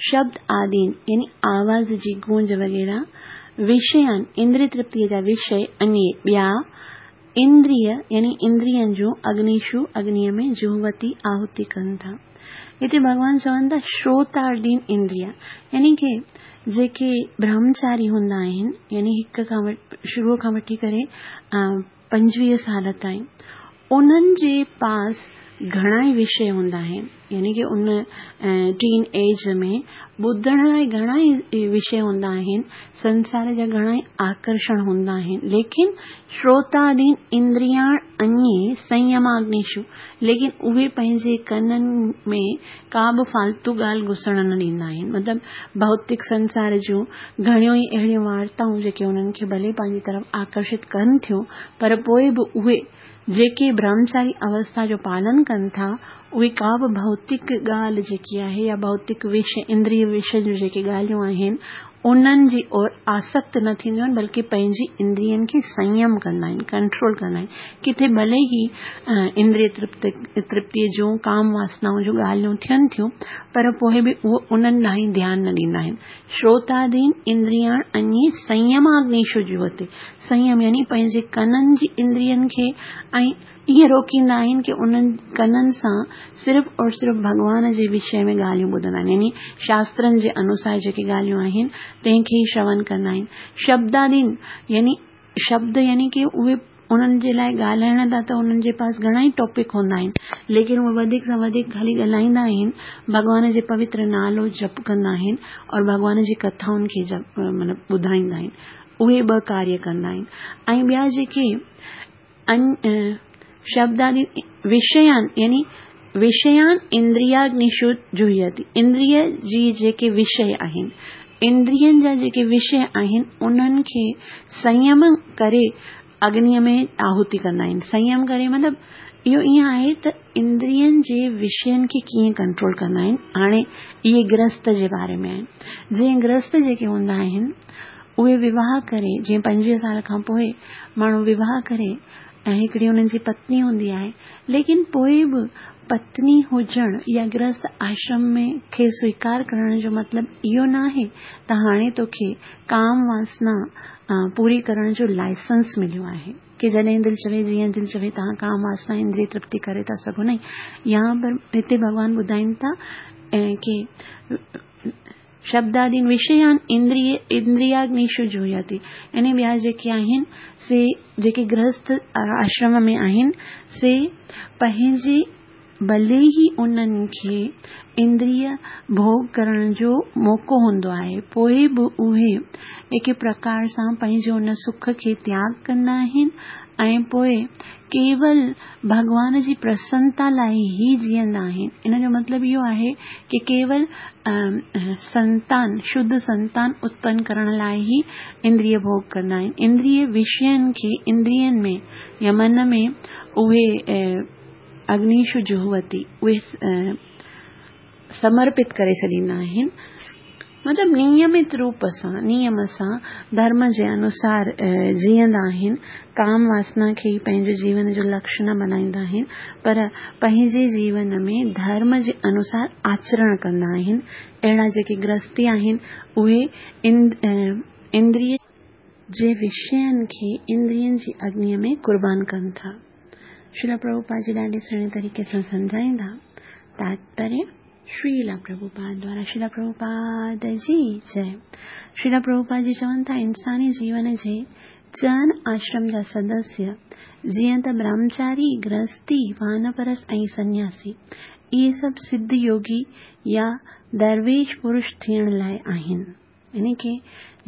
शब्द आदीन यानी आवाज़ जी गूंज वग़ैरह, विषयान इंद्रिय तृप्तीअ जा विषय, अन्य ॿिया, इंद्रिय यानी इंद्रियनि जो अग्निषु अग्निअ में जुह्वति आहुति कनि था। हिते भॻवान चवनि था श्रोतादीन इंद्रिया यानी की जेके ब्रह्मचारी हूंदा आहिनि यानी हिक खां शुरू खां वठी करे पंजवीह साल ताईं उन्हनि जे पास घणा ई विषय हूंदा आहिनि, यानी की उन टीन एज में ॿुधण लाइ घणा ई विषय हूंदा आहिनि, संसार जा घणा ई आकर्षण हूंदा आहिनि, लेकिन श्रोतादीन इंद्रियाण अन्य संयमाग्निषु, लेकिन उहे पंहिंजे कननि में का बि फालतू ॻाल्हि घुसण न ॾींदा आहिनि। मतिलबु भौतिक संसार जूं घणियूं ई अहिड़ियूं वार्ताऊं जेके उन्हनि खे भले पंहिंजी तरफ़ आकर्षित कनि थियूं, पर पोइ बि उहे जेके ब्रह्मचारी अवस्था जो पालन कनि था उहे का बि भौतिक ॻाल्हि जेकी आहे या भौतिक विषय इंद्रिय विषय जूं जेके ॻाल्हियूं आहिनि उन्हनि जी ओर आसक्त न थींदियूं आहिनि, बल्कि पंहिंजी इंद्रियनि खे संयम कंदा आहिनि, कंट्रोल कंदा आहिनि। किथे भले ई इंद्रिय तृप्त तृप्तीअ जूं काम वासनाउनि जूं ॻाल्हियूं थियनि थियूं, पर पोइ बि उहो उन्हनि ॾांहुं ध्यानु न ॾींदा आहिनि। श्रोतादीन इंद्रियाण अन्य संयमाग्निषु जुह्वति, संयम यानी पंहिंजे कननि जी इंद्रियनि खे ऐं ईअं रोकींदा आहिनि की उन्हनि कननि सां सिर्फ़ और सिर्फ़ भॻवान जे विषय में ॻाल्हियूं ॿुधंदा आहिनि, यानी शास्त्रनि जे अनुसार जेके ॻाल्हियूं आहिनि तंहिंखे ई श्रवण कंदा आहिनि। शब्दादीन यानी शब्द यानी की उहे उन्हनि जे लाइ ॻाल्हाइण था त उन्हनि जे पास घणा ई टॉपिक हूंदा आहिनि, लेकिन उहे वधीक सां वधीक ख़ाली ॻाल्हाईंदा आहिनि, भॻवान जे पवित्र नालो जप कंदा आहिनि और भॻवान जी कथाउनि खे जप माना ॿुधाईंदा आहिनि, उहे ॿ कार्य कंदा आहिनि। ऐं ॿिया जेके शब्दादि विषयान यानी विषयान इंद्रियाग्निषु जुह्यति, इंद्रिय जी जेके विषय आहिनि, इंद्रियनि जा जेके विषय आहिनि उन्हनि खे संयम करे अग्निअ में आहुति कंदा आहिनि। संयम करे मतिलबु इहो ईअं आहे त इंद्रियनि जे विषयनि खे कीअं कंट्रोल कंदा आहिनि। हाणे इहे गृहस्थ जे बारे में आहिनि, जीअं गृहस्थ जेके हूंदा आहिनि उहे विवाह करे, जीअं पंजवीह साल खां पोइ माण्हू विवाह करे ऐं हिकिड़ी हुननि जी पत्नी हूंदी आहे, लेकिन पोइ बि पत्नी हुजण या गृहस्थ आश्रम में खे स्वीकार करण जो मतिलबु इहो न आहे त हाणे तोखे काम वासना पूरी करण जो लाइसेंस मिलियो आहे की जॾहिं दिलि चवे जीअं दिलि चवे तव्हां काम वासना इंद्रिय तृप्ति करे था सघो। न, यहाँ पर हिते भॻवान ॿुधाइनि था की शब्दादीन विषयान इंद्रिय इंद्रियाग्निषु जुह्यति, यानी ॿिया जेके आहिनि से जेके गृहस्थ आश्रम में आहिनि से पंहिंजे भले ई उन्हनि खे इंद्रिय भोग करण जो मौक़ो हूंदो आहे, पोइ बि उहे हिकु प्रकार सां पंहिंजे उन सुख खे त्याग कंदा आहिनि ऐं पोइ केवल भॻवान जी प्रसन्नता लाइ ई जीअंदा आहिनि। इन जो मतिलबु इहो आहे की केवल संतान शुद्ध संतान उत्पन्न करण लाइ ई इंद्रिय भोग कंदा आहिनि। इंद्रिय विषयनि खे इंद्रियनि में या मन में उहे अग्निषु जुह्वति उहे समर्पित करे छॾींदा आहिनि। मतिलबु नियमित रूप सां नियम सां धर्म जे अनुसार जीअंदा आहिनि, काम वासना खे ई पंहिंजो जीवन जो लक्ष्य न बणाईंदा आहिनि, पर पंहिंजे जीवन में धर्म जे अनुसार आचरण कंदा आहिनि। अहिड़ा जेके गृहस्थी आहिनि उहे इंद्रिय जे विषयनि खे इंद्रियनि जी अग्निअ में कुर्बान कनि था। श्रील प्रभुपाद जी ॾाढे सुहिणे तरीक़े सां सम्झाईंदा। तात्पर्य श्रील प्रभुपाद द्वारा श्रील प्रभुपाद जी जय। श्रील प्रभुपाद जी चवनि था इंसानी जीवन जे चनि आश्रम जा सदस्य जीअं त ब्रह्मचारी, गृहस्थी, वानप्रस्थ ऐं सन्यासी, इहे सभु सिद्ध योगी या दरवेश पुरुष थियण लाइ आहिनि। यानी की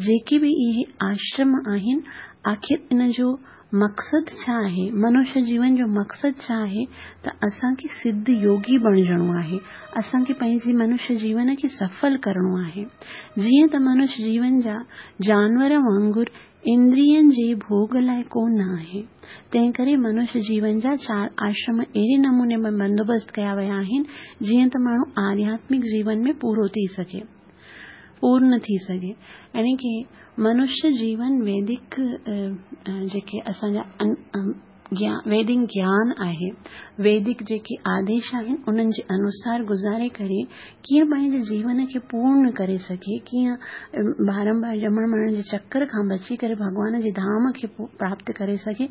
जेके बि इहे आश्रम आहिनि, आख़िर इन जो مقصد ڇا آهي؟ منشيه جيون جو مقصد ڇا آهي؟ ته اسان کي سڌ يوگي بڻجڻو آهي، اسان کي پنهنجي منشيه جيون کي سڦل ڪرڻو آهي. جيئن ته منشيه جيون جا جانور وانگر اندرين جي ڀوڳ لاءِ ڪونه آهي، تنهن ڪري منشيه جيون جا چار آشرم اهڙي نموني ۾ بندوبست ڪيا ويا آهن جيئن ته ماڻهو آڌياتمڪ جيون ۾ پورو ٿي سگهي، پورن ٿي سگهي. يعني ڪه منشيه جيون ويدڪ جيڪي اسان جا ويدڪ گيان آهي، ويدڪ جيڪي آديش آهن انهن جي انوسار گذاري ڪري ڪيئن پنهنجي جيون کي پورن ڪري سگهي، ڪيئن بارمبار ڄمڻ مرڻ جي چڪر کان بچي ڪري ڀڳوان جي ڌام کي پراپت ڪري سگهي،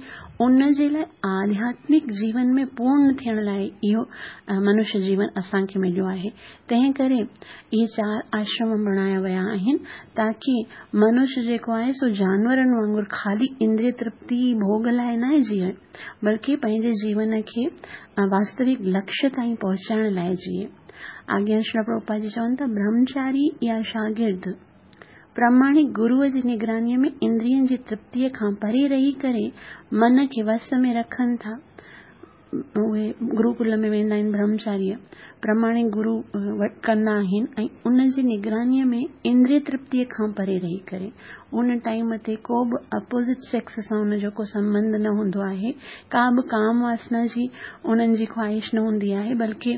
ان جي لاءِ آڌياتمڪ جيون ۾ پورن ٿيڻ لاءِ اهو منشيه جيون اسان کي مليو آهي. تنهن ڪري اهي چار آشرم بڻايا ويا آهن تاڪه منشيه جيڪو آهي سو جانورن وانگر خالي اندريه ترپتي ڀوڳ لاءِ نه جيئي، بلڪه پنهنجي جيون کي واستوڪ لڪشيه تائين پهچائڻ لاءِ جيئي. اڳيان شري پرڀوپاد جي چون ٿا، برهمچاري يا شاگرد پراماڻڪ گروءَ جي نگرانيءَ ۾ اندرين جي ترپتيءَ کان پري رهي ڪري من کي وس ۾ رکن ٿا. اهي گروڪل ۾ ويندا آهن، برهمچاري پراماڻڪ گرو ڪندا آهن ۽ ان جي نگرانيءَ ۾ اندريه ترپتيءَ کان پري رهي ڪري ان ٽائيم تي ڪو به اپوزٽ سيڪس سان ان جو ڪو سنٻنڌ نه هوندو آهي، ڪا به ڪام واسنا جي انهن جي خواهش نه هوندي آهي، بلڪه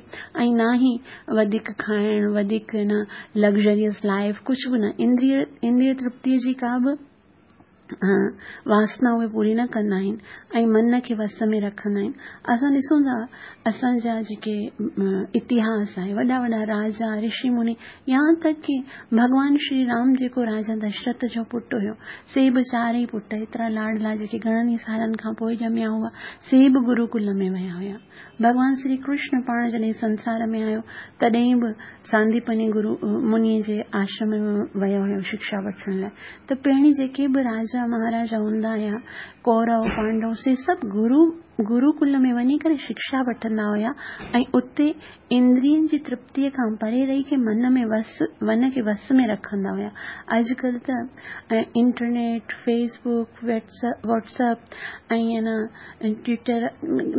۽ نه ئي وڌيڪ کائڻ، وڌيڪ نه لگزريس لائيف، ڪجهه به نه، اندريه اندريه ترپتيءَ جي ڪا به واسنا اهي پوري نه ڪندا آهن ۽ من کي وس ۾ رکندا آهن. اسان ڏسون ٿا اسان جا جيڪي اتهاس آهي، وڏا وڏا راجا رشي مني، يهان تڪ ڪه ڀڳوان شري رام جيڪو راجا دشرٿ جو پٽ هيو، سي به چارئي پٽ ايترا لاڏلا جيڪي گهڻن ئي سالن کان پوءِ ڄميا هئا، سي به گروڪل ۾ ويا هئا. ڀڳوان شري ڪرشن پاڻ جڏهن سنسار ۾ آيو تڏهن به سانديپني گرو منيءَ جي آشرم ۾ ويو هيو شڪشا وٺڻ لاءِ. ته پهرين جيڪي به راجا مهاراجا هوندا هئا، ڪورو پانڊو، سي سڀ گرو گروڪل ۾ وڃي ڪري شڪشا وٺندا هئا ۽ اتي اندرين جي ترپتيءَ کان پري رهي ڪري من ۾ وس من کي وس ۾ رکندا هئا. اڄڪلهه ته internet, fee book, Whats app ۽ نه ٽوئٽر،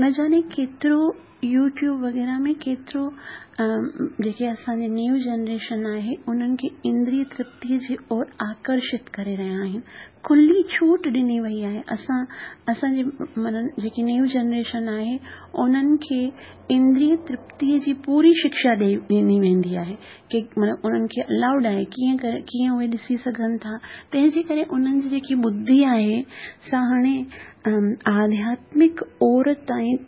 نه ڄاڻي ڪيترو يوٽيوب وغيره ۾ ڪيترو جيڪي اسان جي نيو جنريشن آهي انهن کي اندريه ترپتيءَ جي اور آڪرشت ڪري رهيا آهن. کلي ڇوٽ ڏني وئي آهي. اسان اسان جي معنيٰ جيڪي نيو جنريشن آهي انهن کي اندريه ترپتيءَ جي پوري شڪشا ڏيئي ڏني ويندي آهي ڪه معنيٰ انهن کي الائوڊ آهي، ڪيئن ڪري ڪيئن اهي ڏسي سگهن ٿا. تنهن جي ڪري انهن جي جيڪي ٻڌي آهي سا هاڻي آڌياتمڪ اور تائين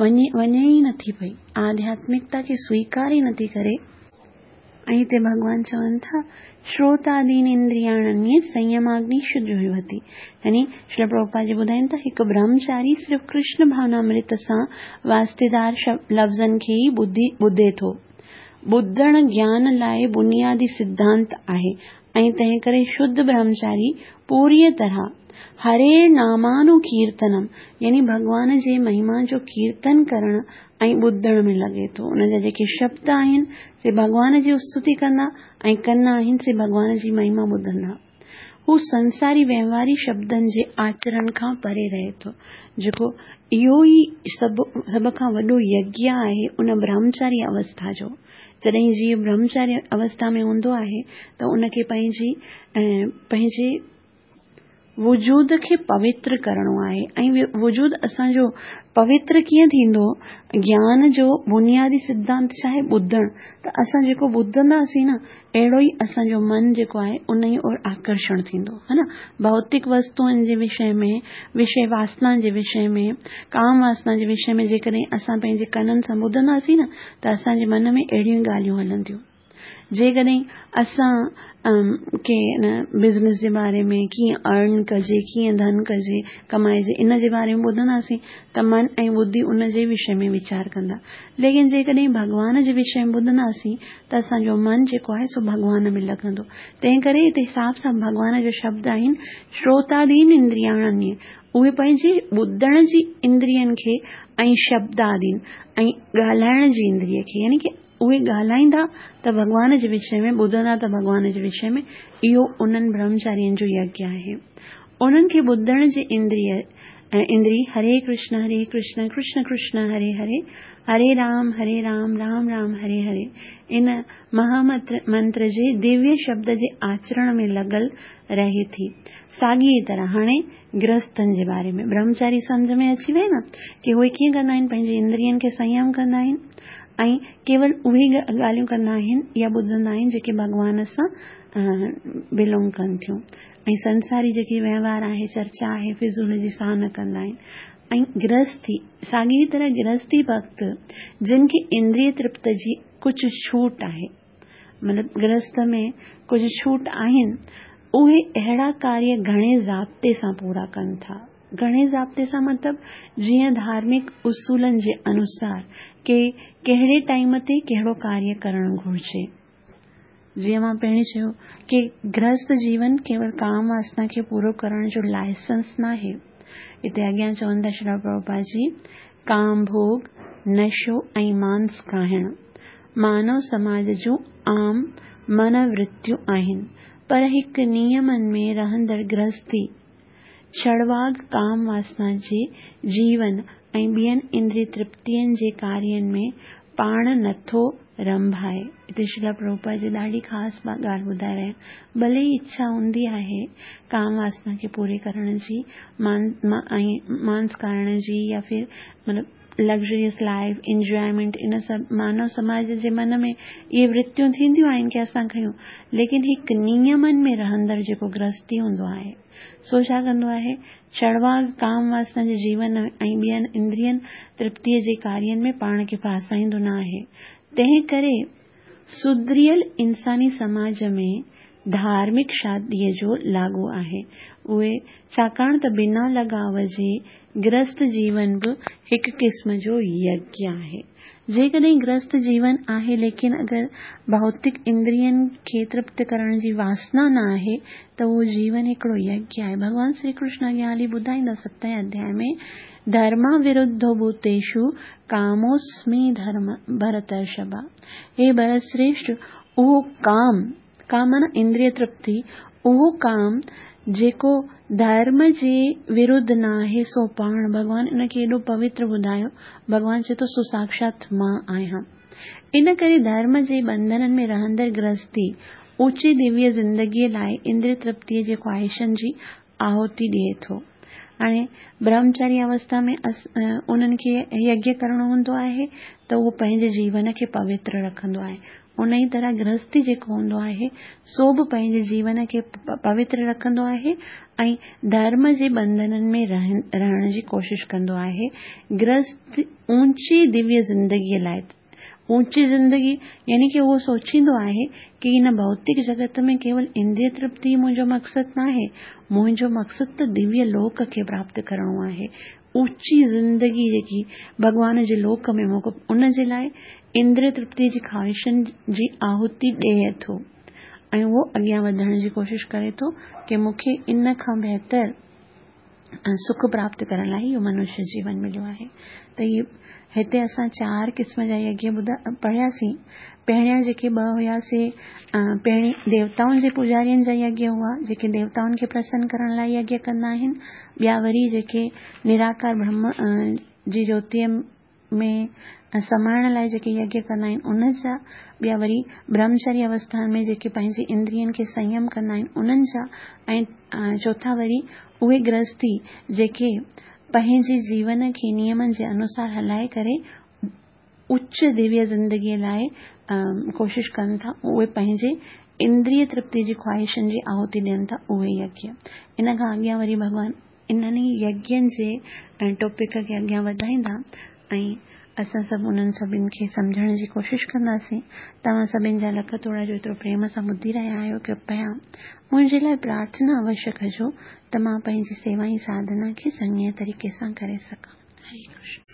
وڃي وڃي ئي نٿي پئي، آڌياتمڪتا کي سويڪار ئي نٿي ڪري. ۽ هتي ڀڳوان چون ٿا، شروتادين اندرياڻي سنيماگني جهوتي. يعني شري پرڀوپاد جي ٻڌائين ٿا، هڪ برهمچاري صرف ڪرشن ڀاونامرت سان واسطيدار لفظن کي ئي ٻڌي ٻڌي ٿو. ٻڌڻ گيان لاءِ بنيادي سڌانت آهي ۽ تنهن ڪري شڌ برهمچاري پوريءَ طرح هري نامانوڪيرتنم يعني ڀڳوان جي مهما جو ڪيرتن ڪرڻ ۽ ٻڌڻ ۾ لڳي ٿو. ان جا جيڪي شبد آهن سي ڀڳوان جي استتي ڪندا ۽ ڪن آهن سي ڀڳوان جي مهما ٻڌندا. هو سنساري وهنواري شبدن جي آچرڻ کان پري رهي ٿو، جيڪو اهو ئي سڀ سڀ کان وڏو يگيه آهي ان برهمچاري اوسٿا جو. جڏهن جيو برهمچاري اوسٿا ۾ هوندو آهي ته ان کي پنهنجي پنهنجي وجود کي پوتر ڪرڻو آهي. ۽ وجود اسان جو پوتر ڪيئن ٿيندو؟ گيان جو بنيادي سڌانت ڇا آهي؟ ٻڌڻ. ته اسان جيڪو ٻڌنداسين نه، اهڙو ئي اسان جو من جيڪو آهي ان ئي اور آڪرشڻ ٿيندو، ها نه. ڀوتڪ وستوئن جي وشي ۾، وشي واسنا جي وشي ۾، ڪام واسنا جي وشي ۾ جيڪڏهن اسان پنهنجي ڪنن سان ٻڌنداسين نه، ته اسان جي من ۾ اهڙيون ڳالهيون هلنديون. جيڪڏهن اسان ڪي نه بزنس جي باري ۾ ڪيئن ارن ڪجي، ڪيئن ڌن ڪجي، ڪمائجي، ان جي باري ۾ ٻڌنداسين ته من ۽ ٻڌي ان جي وشي ۾ ويچار ڪندا. ليڪن جيڪڏهن ڀڳوان جي وشي ۾ ٻڌنداسين ته اسان جو من جيڪو آهي سو ڀڳوان ۾ لڳندو. تنهن ڪري هتي صاف صاف ڀڳوان جو شبد آهن شروتادين اندرياڻي، اهي پنهنجي ٻڌڻ جي اندرين کي ۽ شبدادين ۽ ڳالهائڻ جي اندريه کي، يعني ڪه اهي ڳالهائيندا ته ڀڳوان جي وشي ۾، ٻڌندا ته ڀڳوان جي وشي ۾. اهو انهن برهمچارين جو يگيه آهي. انهن کي ٻڌڻ جي اندري اندري هري ڪرشن هري ڪرشن ڪرشن ڪرشن هري هري هري رام هري رام رام رام هري هري ان مهامنتر جي دويه شبد جي آچرڻ ۾ لڳل رهي ٿي. ساڳيء طرح هاڻي گرهستن جي باري ۾ برهمچاري سمجهه ۾ اچي وئي نه ڪي اهي ڪيئن ڪندا آهن، پنهنجي اندرين کي سنيم ڪندا آهن ۽ ڪيول اهي ڳالهيون ڪندا آهن يا ٻڌندا آهن جيڪي ڀڳوان سان بلونگ ڪن ٿيون ۽ سنساري جيڪي وهنوار آهي، چرچا آهي، فضول جي سان نه ڪندا آهن. ۽ گرهستي ساڳي طرح گرهستي ڀڳت جن کي اندريه ترپت جي ڪجهه ڇوٽ آهي، مطلب گرهست ۾ ڪجهه ڇوٽ آهن، اهي اهڙا ڪاريه گهڻي ضابطي سان پورا ڪن ٿا. گهڻي ضابطي سان مطلب جيئن ڌارمڪ اصولن جي انوسار ڪي ڪهڙي ٽائيم تي ڪهڙو ڪاريه ڪرڻ گهرجي. جيئن مان پهرين چيو ڪي گرهست جيون ڪيول ڪام واسنا کي پورو ڪرڻ جو لائسنس ناهي. هتي اڳيان چون ٿا شريل پرڀوپاد جي، ڪام ڀوڳ، نشو ۽ مانس کائڻ مانو سماج جون عام منورتيون آهن، پر هڪ نيمن ۾ رهندڙ گرهستي ڇڙواڳ ڪام واسنا جي جيون ۽ ٻين اندريه ترپتين جي ڪارين ۾ پاڻ نٿو رنڀائي. هتي شريل پرڀوپاد جي ڏاڍي خاص ڳالهه ٻڌائي رهيا آهن. ڀلي ئي اڇا هوندي آهي ڪام واسنا کي پوري ڪرڻ جي ۽ مانس کائڻ جي يا ڦر مطلب لگزريس لائف، انجوائمينٽ، ان سڀ مانو سماج جي من ۾ اهي ورتيون ٿينديون آهن ڪي اسان کيون، ليڪن هڪ نيمن ۾ رهندڙ جيڪو گرهستي هوندو آهي سو ڇا ڪندو آهي، ڇڙواڳ ڪام واسنا جي جيون ۽ ٻين اندرين ترپتيء جي ڪارين ۾ پاڻ کي ڦاسائيندو نه آهي. تنهن ڪري سڌريل انساني سماج ۾ ڌارمڪ شاديء جو لاڳو آهي. اهي ڇاڪاڻ ته بنا لڳاء جي گرهست جيون به هڪ قسم جو يگيه آهي. جيڪڏهن گرهست جيون آهي ليڪن اگر ڀوتڪ اندرين کي ترپت ڪرڻ جي واسنا نه آهي ته اهو جيون هڪڙو يگيه آهي. ڀڳوان شري ڪرشن اڳيان هلي ٻڌائيندا ستين اڌياء ۾ ڌرما ورڌو ڀوتيشو ڪاموسمي ڌرم ڀرترشڀا. هي ڀرت شريشٺ، اهو ڪام، ڪام معنيٰ اندريه ترپتي، اهو ڪام جيڪو ڌرم جي ورڌ نه آهي سو پاڻ ڀڳوان ان کي ايڏو پوتر ٻڌايو. ڀڳوان چئي ٿو سو ساکشات مان آهيان. ان ڪري ڌرم جي ٻنڌنن ۾ رهندڙ گرهستي اوچي دويه زندگيء لاء اندريه ترپتيء جي خواهشن جي آهوتي ڏئي ٿو. هاڻي برهمچاري اوسٿا ۾ انهن کي يگيه ڪرڻو هوندو آهي ته اهو پنهنجي جيون کي پوتر رکندو آهي. ان ئي طرح گرهستي جيڪو هوندو آهي سو به پنهنجي جيون کي پوتر رکندو آهي ۽ ڌرم جي ٻنڌنن ۾ رهڻ جي ڪوشش ڪندو آهي. گرهست اوچي دويه زندگيء لاء، اوچي زندگي يعني ڪي اهو سوچيندو آهي ڪي هن ڀوتڪ جڳت ۾ ڪيول اندريه ترپتي منهنجو مقصد ناهي، منهنجو مقصد ته دويه لوڪ کي پراپت ڪرڻو آهي. اوچي زندگي جيڪي ڀڳوان جي لوڪ ۾ موقعو، ان جي لاء اندريه ترپتي جي خواهشن جي آهوتي ڏئي ٿو ۽ اهو اڳيان وڌڻ جي ڪوشش ڪري ٿو ڪي مون کي ان کان بهتر سک پراپت ڪرڻ لاء اهو منشيه جيون مليو آهي. ته هي هتي اسان چار قسم جا يگيه ٻڌا پڙهياسين. پهريان جيڪي ٻه هيا سي پهرين ديوتائن جي پوڄارين جا يگيه هئا، جيڪي ديوتائن کي پرسن ڪرڻ لاء يگيه ڪندا آهن. ٻيا وري جيڪي نراڪار برهم جي جوتيء ۾ سمائڻ لاء جيڪي يگيه ڪندا آهن ان جا، ٻيا وري برهمچاري اوسٿا ۾ جيڪي پنهنجي اندرين کي سنيم ڪندا آهن انهن جا، ۽ چوٿا وري اهي گرهستي جيڪي پنهنجي جيون کي نيمن جي انوسار هلائي ڪري اچ دويه زندگيء لاء ڪوشش ڪن ٿا، اهي پنهنجي اندريه ترپتي جي خواهشن جي آهوتي ڏين ٿا، اهي يگيه. ان کان اڳيان وري ڀڳوان انهن ئي يگين جي ٽاپڪ کي اڳيان وڌائيندا ۽ اسان سڀ انهن سڀني کي سمجهڻ جي ڪوشش ڪنداسين. توهان سڀني جا لک ٿورا جو ايترو پريم سان ٻڌي رهيا آهيو. ڪرپيا منهنجي لاء پرارٿنا اوشيه ڪجو ته مان پنهنجي سيوا ۽ ساڌنا کي چڱي طريقي سان ڪري سگهان. هري ڪرشن.